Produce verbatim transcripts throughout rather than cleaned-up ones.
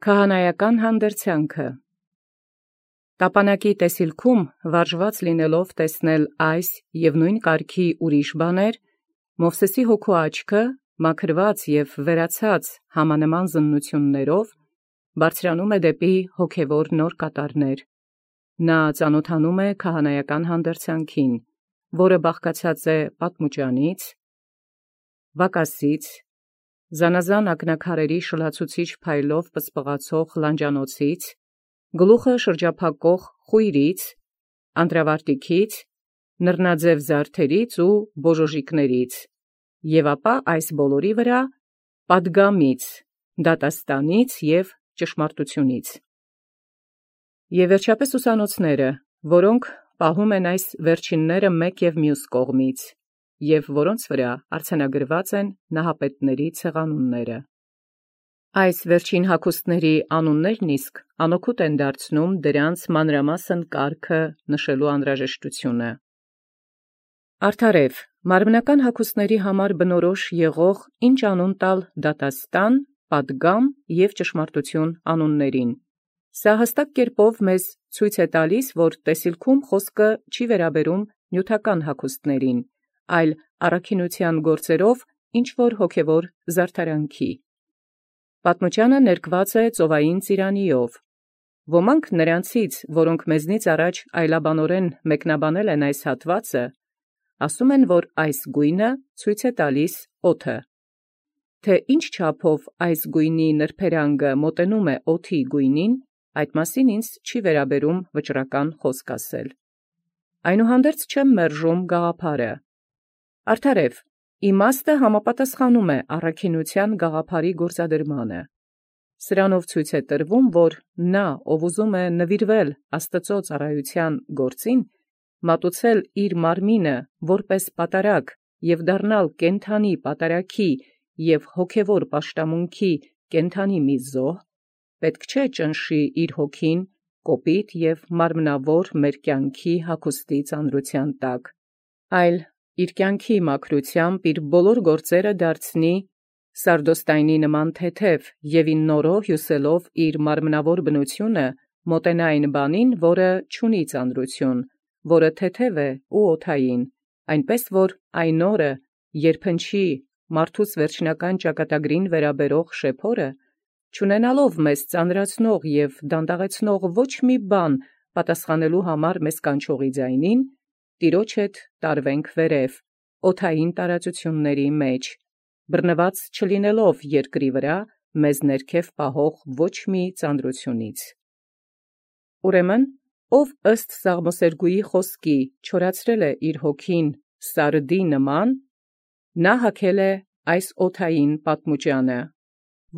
Քահանայական հանդերձյանքը։ Տապանակի տեսիլքում վարժված լինելով տեսնել այս և նույն կարգի ուրիշ բաներ, Մովսէսի հոգու աչքը, մաքրված և վերացած համանման զննութիւններով, բարձրանում է դեպի հոգևոր նոր կատարներ. նա ծանոթանում է քահանայական հանդերձյանքին, որը բաղկացած է պատմուճանից, վակասից, զանազան ակնաքարերի շլացուցիչ փայլով պսպղացող լանջանոցից, գլուխը շրջափակող խույրից, անդրավարտիքից, նռնաձև զարդերից ու բոժոժիկներից, և ապա այս բոլորի վրա պատգամից, դատաստանից և ճշմարտությունից։ Եւ վերջապես ուսանոցները, որոնք պահում են այս վերջինները մեկ և մյուս կողմից, և որոնց վրա արձանագրված են նահապետների ցեղանունները։ Այս վերջին հագուստների անուններն իսկ անօգուտ են դարձնում դրանց մանրամասն կարգը նշելու անհրաժեշտությունը։ Արդարև, մարմնական հագուստների համար բնորոշ եղող ինչ անուն տալ դատաստան, պատգամ և ճշմարտություն անուններին։ Սա հստակ կերպով մեզ ցույց է տալիս, որ տեսիլքում խոսքը չի վերաբերում նյութական հագուստներին, այլ առաքինութեան գործերով ինչ-որ հոգևոր զարդարանքի։ Պատմուճանը ներկված է ծովային ծիրանիով։ Ոմանք նրանցից, որոնք մեզնից առաջ այլաբանորեն մեկնաբանել են այս հատվածը, ասում են, որ այս գույնը ցույց է տալիս օդը։ Թե ինչ չափով այս գույնի նրբերանգը մոտենում է օդի գույնին, այդ մասին ինձ չի վերաբերում վճռական խոսք ասել։ Այնուհանդերձ չեմ մերժում գաղափարը։ Արդարև, իմաստը համապատասխանում է առաքինութեան գաղափարի գործադրմանը։ Սրանով ցույց է տրվում, որ նա, ով ուզում է նվիրվել Աստուծոյ ծառայութեան գործին, մատուցել իր մարմինը որպես պատարագ և դառնալ կենդանի պատարագի և հոգևոր պաշտամունքի կենդանի մի զոհ, պետք չէ ճնշի իր հոգին կոպիտ և մարմնավոր մեր կյանքի հագուստի ծանրութեան տակ, այլ իր կյանքի մաքրութեամբ իր բոլոր գործերը դարձնի սարդոստայնի նման թեթև և ի նորո հիւսելով իր մարմնավոր բնութիւնը մոտենա այն բանին, որը չունի ծանրութիւն, որը թեթև է ու օդային, այնպէս որ այն օրը, երբ հնչի մարդուս վերջնական ճակատագրին վերաբերող շեփորը, չունենալով մեզ ծանրացնող և դանդաղեցնող ոչ մի բան պատասխանելու համար մեզ կանչողի ձայնին, Տիրոջ հետ տարվենք վերև, օդային տարածությունների մեջ, բռնված չլինելով երկրի վրա մեզ ներքև պահող ոչ մի ծանրութիւնից։ Ուրեմն, ով ըստ Սաղմոսերգուի խոսքի չորացրել է իր հոգին սարդի նման, նա հագել է այս օդային պատմուճանը,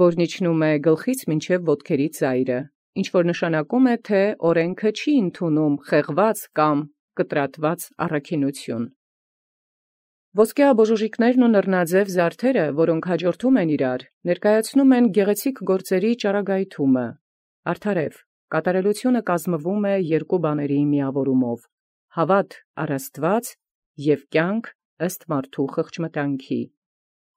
որն իջնում է գլխից մինչև ոտքերի ծայրը, ինչ որ նշանակում է, թե օրենքը չի ընդունում խեղված կամ կտրատված առաքինութիւն։ Ոսկյա բոժոժիկներն ու նռնաձև զարդերը, որոնք հաջորդում են իրար, ներկայացնում են գեղեցիկ գործերի ճառագայթումը։ Արդարև, կատարելությունը կազմվում է երկու բաների միավորումով՝ հավատ առ Աստուած և կյանք ըստ մարդու խղճմտանքի։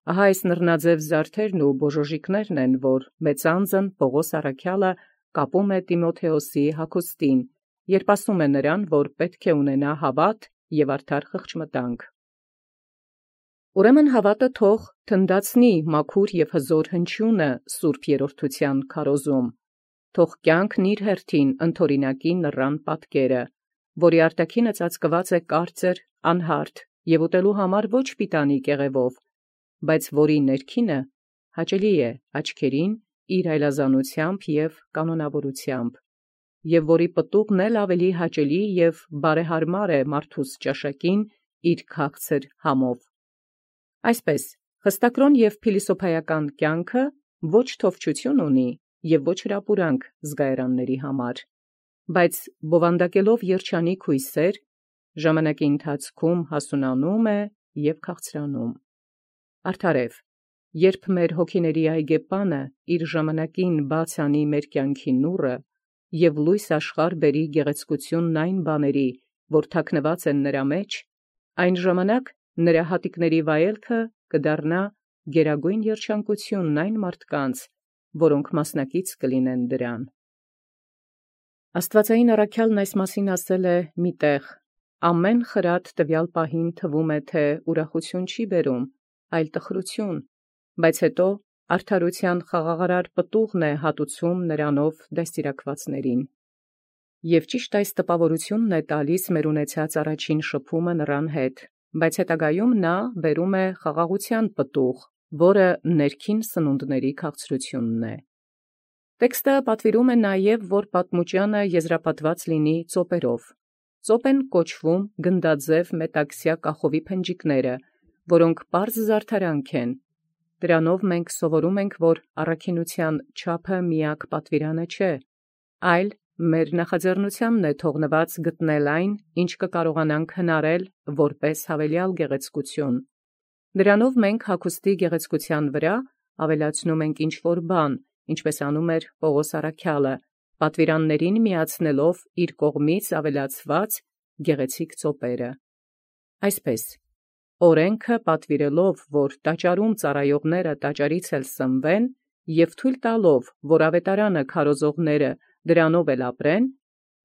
Ահա այս նռնաձև զարդերն ու բոժոժիկներն են, որ մեծանձն Պողոս առաքյալը կապում է Տիմոթեոսի հագուստին, երբ ասում է նրան, որ պետք է ունենա հավատ և արդար խղճմտանք։ Ուրեմն հավատը թող թնդացնի մաքուր և հզոր հնչյունը սուրբ երրորդութեան քարոզում, թող կյանքն իր հերթին ընդօրինակի նռան պատկերը, որի արտաքինը ծածկված է կարծր, անհարթ և ուտելու համար ոչ պիտանի կեղևով, բայց որի ներքինը հաճելի է աչքերին իր այլազանութեամբ և կանոնավորութեամբ, և որի պտուղն էլ ավելի հաճելի և բարեհարմար է մարդուս ճաշակին իր քաղցր համով։ Այսպես, խստակրոն և փիլիսոփայական կյանքը ոչ թովչություն ունի և ոչ հրապուրանք զգայարանների համար, բայց բովանդակելով երջանիկ հույսեր, ժամանակի ընթացքում հասունանում է և քաղցրանում։ Արդարև, երբ մեր հոգիների այգեպանը իր ժամանակին բաց անի մեր կյանքի նուռը և լույս աշխարհ բերի գեղեցկութիւնն այն բաների, որ թաքնված են նրա մեջ, այն ժամանակ նրա հատիկների վայելքը կդառնա գերագույն երջանկութիւնն այն մարդկանց, որոնք մասնակից կլինեն դրան։ Աստուածային առաքյալն այս մասին ասել է մի տեղ. «Ամեն խրատ տվյալ պահին թվում է, թե ուրախություն չի բերում, այլ տխրություն, բայց հետո արդարության խաղաղարար պտուղն է հատուցում նրանով դաստիարակվածներին»։ Եվ ճիշտ այս տպավորությունն է տալիս մեր ունեցած առաջին շփումը նրան հետ, բայց հետագայում նա բերում է խաղաղության պտուղ, որը ներքին սնունդների քաղցրությունն է։ Տեքստը պատվիրում է նաև, որ պատմուճանը եզրապատված լինի ծոպերով։ Ծոպ են կոչվում գնդաձև մետաքսյա կախովի փնջիկները, որոնք պարզ զարդարանք են։ Դրանով մենք սովորում ենք, որ առաքինության չափը միակ պատվիրանը չէ, այլ մեր նախաձեռնությանն է թողնված գտնել այն, ինչ կկարողանանք հնարել որպես հավելյալ գեղեցկություն։ Դրանով մենք հագուստի գեղեցկության վրա ավելացնում ենք ինչ-որ բան, ինչպես անում էր Պողոս առաքյալը, պատվիրաններին միացնելով իր կողմից ավելացված գեղեցիկ ծոպերը։ Այսպես, օրենքը պատվիրելով, որ տաճարում ծառայողները տաճարից էլ սնվեն, և թույլ տալով, որ ավետարանը քարոզողները դրանով էլ ապրեն,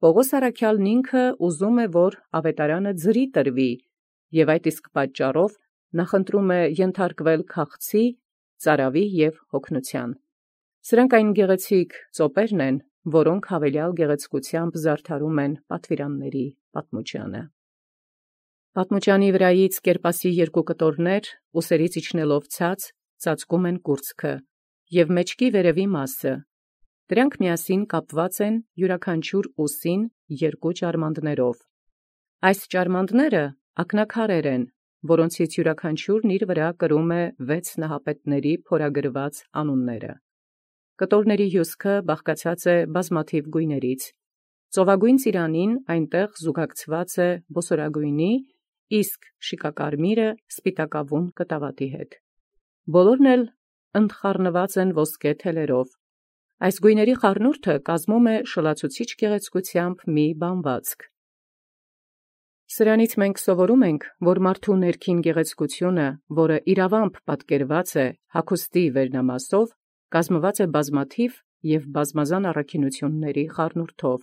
Պողոս առաքյալն ինքը ուզում է, որ ավետարանը ձրի տրվի, և այդ իսկ պատճառով նախընտրում է ենթարկվել քաղցի, ծարավի և հոգնության։ Սրանք այն գեղեցիկ ծոպերն են, որոնք հավելյալ գեղեցկությամբ զարդարում են պատվիրանների պատմուճանը։ Պատմուճանի վրայից կերպասի երկու կտորներ, ուսերից իջնելով ցած, ծածկում են կուրծքը և մեջքի վերևի մասը։ Դրանք միասին կապված են յուրաքանչյուր ուսին երկու ճարմանդներով։ Այս ճարմանդները ակնաքարեր են, որոնցից յուրաքանչյուրն իր վրա կրում է վեց նահապետների փորագրված անունները։ Կտորների հյուսքը բաղկացած է բազմաթիվ գույներից։ Ծովագույն ծիրանին այնտեղ զուգակցված է բոսորագույնի, իսկ շիկակարմիրը սպիտակավուն կտավատի հետ։ Բոլորն էլ ընդխառնված են ոսկե թելերով։ Այս գույների խառնուրդը կազմում է շլացուցիչ գեղեցկությամբ մի բանվածք։ Սրանից մենք սովորում ենք, որ մարդու ներքին գեղեցկությունը, որը իրավամբ պատկերված է հագուստի վերնամասով, կազմված է բազմաթիվ և բազմազան առաքինությունների խառնուրդով։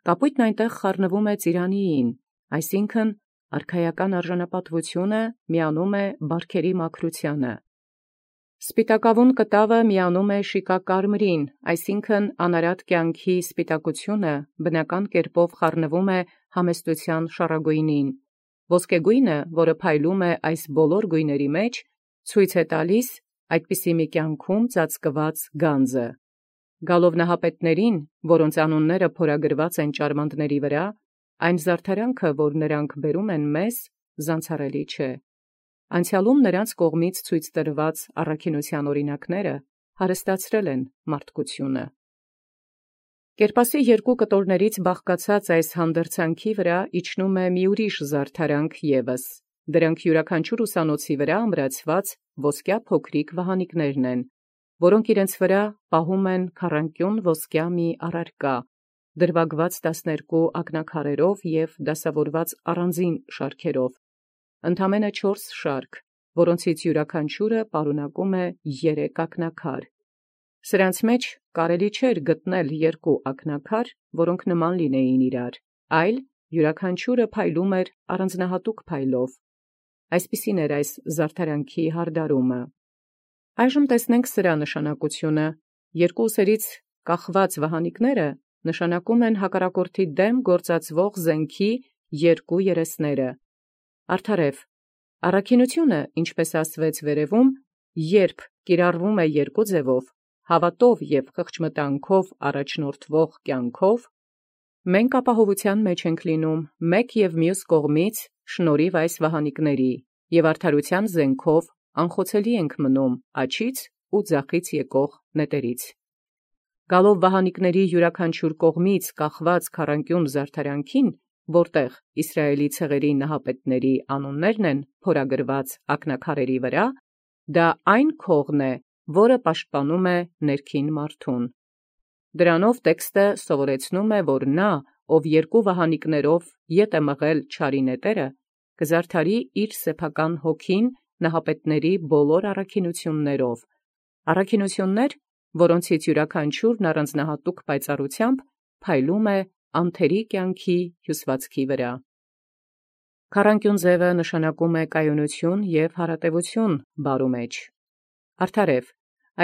Կապույտն այնտեղ խառնվում է ծիրանիին, այսինքն արքայական արժանապատվությունը միանում է բարքերի մաքրությանը։ Սպիտակավուն կտավը միանում է շիկակարմրին, այսինքն անարատ կյանքի սպիտակությունը բնական կերպով խառնվում է համեստության շառագույնին։ Ոսկեգույնը, որը փայլում է այս բոլոր գույների մեջ, ցույց է տալիս այդպիսի մի կյանքում ծածկված գանձը։ Գալով նահապետներին, որոնց անունները փորագրված են ճարմանդների վրա, այն զարդարանքը, որ նրանք բերում են մեզ, զանցառելի չէ։ Անցյալում նրանց կողմից ցույց տրված առաքինության օրինակները հարստացրել են մարդկությունը։ Կերպասի երկու կտորներից բաղկացած այս հանդերձանքի վրա իջնում է մի ուրիշ զարդարանք ևս։ Դրանք յուրաքանչյուր ուսանոցի վրա ամրացված ոսկյա փոքրիկ վահանիկներն են, որոնք իրենց վրա պահում են քառանկյուն ոսկյա մի առարկա, դրվագված տասներկու ակնաքարերով և դասավորված առանձին շարքերով, ընդամենը չորս շարք, որոնցից յուրաքանչյուրը պարունակում է երեք ակնաքար։ Սրանց մեջ կարելի չէր գտնել երկու ակնաքար, որոնք նման լինեին իրար, այլ յուրաքանչյուրը փայլում էր առանձնահատուկ փայլով։ Այսպիսին էր այս զարդարանքի հարդարումը։ Այժմ տեսնենք սրա նշանակությունը։ Երկու ուսերից կախված վահանիկները նշանակում են հակառակորդի դեմ գործածվող զենքի երկու երեսները։ Արդարև, առաքինությունը, ինչպես ասվեց վերևում, երբ կիրառվում է երկու ձևով, հավատով և խղճմտանքով առաջնորդվող կյանքով, մենք ապահովության մեջ ենք լինում մեկ և մյուս կողմից շնորհիվ այս վահանիկների և արդարության զենքով անխոցելի ենք մնում աջից ու ձախից եկող նետերից։ Գալով վահանիկների յուրաքանչյուր կողմից կախված քառանկյուն զարդարանքին, որտեղ Իսրայելի ցեղերի նահապետների անուններն են փորագրված ակնաքարերի վրա, դա այն քողն է, որը պաշտպանում է ներքին մարդուն։ Դրանով տեքստը սովորեցնում է, որ նա, ով երկու վահանիկներով ետ է մղել չարի նետերը, կզարդարի իր սեփական հոգին նահապետների բոլոր առաքինություններով, առաքինություններ, որոնցից յուրաքանչյուրն առանձնահատուկ պայծառությամբ փայլում է անթերի կյանքի հյուսվածքի վրա։ Քառանկյուն ձևը նշանակում է կայունություն և հարատևություն բարու մեջ։ Արդարև,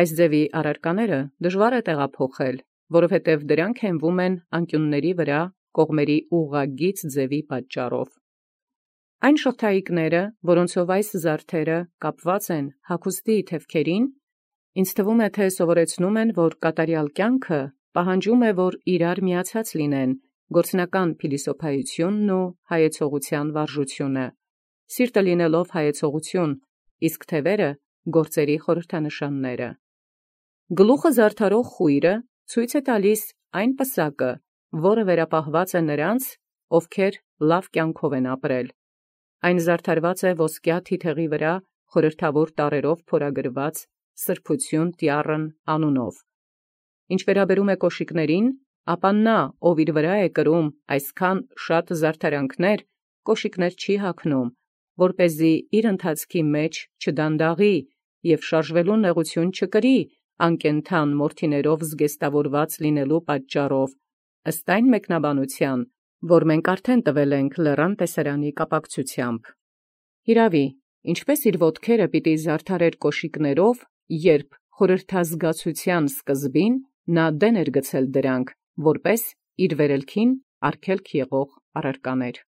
այս ձևի առարկաները դժվար է տեղափոխել, որովհետև դրանք հենվում են անկյունների վրա կողմերի ուղղագիծ ձևի պատճառով։ Այն շղթայիկները, որոնցով այս զարդերը կապված են հագուստի թևքերին, ինձ թվում է, թե սովորեցնում են, որ կատարյալ կյանքը պահանջում է, որ իրար միացած լինեն գործնական փիլիսոփայությունն ու հայեցողության վարժությունը, սիրտը լինելով հայեցողություն, իսկ թևերը գործերի խորհրդանշանները։ Գլուխը զարդարող խույրը ցույց է տալիս այն պսակը, որը վերապահված է նրանց, ովքեր լավ կյանքով են ապրել։ Այն զարդարված է ոսկյա թիթեղի վրա խորհրդավոր տառերով փորագրված սրբություն տյառն անունով։ Ինչ վերաբերում է կոշիկներին, ապա նա, ով իր վրա է կրում այսքան շատ զարդարանքներ, կոշիկներ չի հագնում, որպեսզի իր ընթացքի մեջ չդանդաղի և շարժվելու նեղություն չկրի անկենդան մորթիներով զգեստավորված լինելու պատճառով, ըստ այն մեկնաբանության, որ մենք արդեն տվել ենք Լեռան տեսարանի կապակցությամբ։ Հիրավի, ինչպես իր ոտքերը պիտի զարդարեր կոշիկներով, երբ խորհրդազգացության սկզբին նա դեն էր գցել դրանք, որպես իր վերելքին արգելք եղող առարկաներ։